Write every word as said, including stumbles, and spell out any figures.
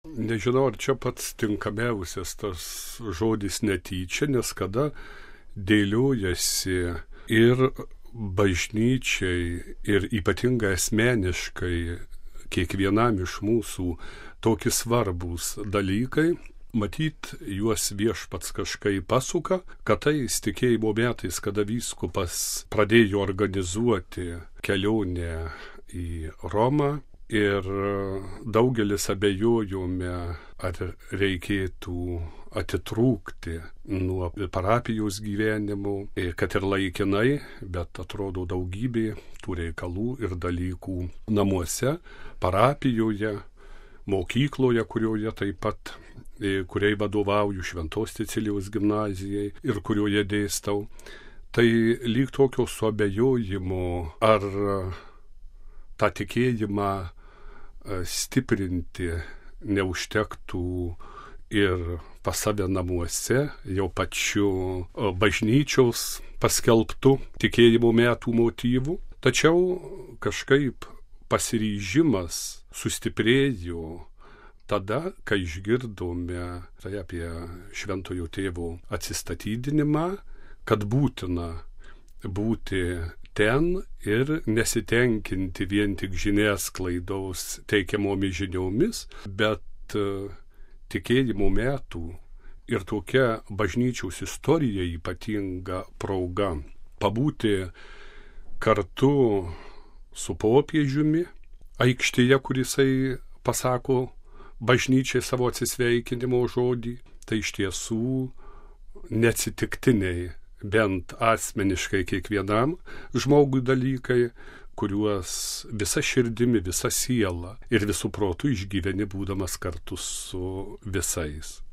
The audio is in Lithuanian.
Nežinau, ar čia pats tinkamiausias tas žodis netyčia, nes kada dėliojasi ir bažnyčiai, ir ypatingai asmeniškai kiekvienam iš mūsų tokie svarbūs dalykai, matyt, juos viešpats kažkaip pasuka, kad tais tikėjimo metais, kada vyskupas pradėjo organizuoti kelionę į Romą, ir daugelis abejojome, ar reikėtų atitrūkti nuo parapijos gyvenimų, kad ir laikinai, bet atrodo daugybė tų reikalų ir dalykų namuose, parapijoje, mokykloje, kurioje taip pat, kuriai vadovauju, Šventos Cecilijos gimnazijai ir kurioje dėstau. Tai lyg tokio suabejojimo, ar tą tikėjimą stiprinti neužtektų ir pas save namuose, jau pačiu bažnyčios paskelbtų tikėjimo metų motyvų. Tačiau kažkaip pasiryžimas sustiprėjo tada, kai išgirdome tai apie Šventojo Tėvo atsistatydinimą, kad būtina būti ten ir nesitenkinti vien tik žiniasklaidos teikiamomis žiniomis, bet tikėjimo metų ir tokia bažnyčios istorija ypatinga proga pabūti kartu su popiežiumi aikštėje, kur jisai pasako bažnyčiai savo atsisveikinimo žodį. Tai iš tiesų neatsitiktiniai, bent asmeniškai kiekvienam žmogui dalykai, kuriuos visa širdimi, visa siela ir visų protų išgyveni būdamas kartu su visais.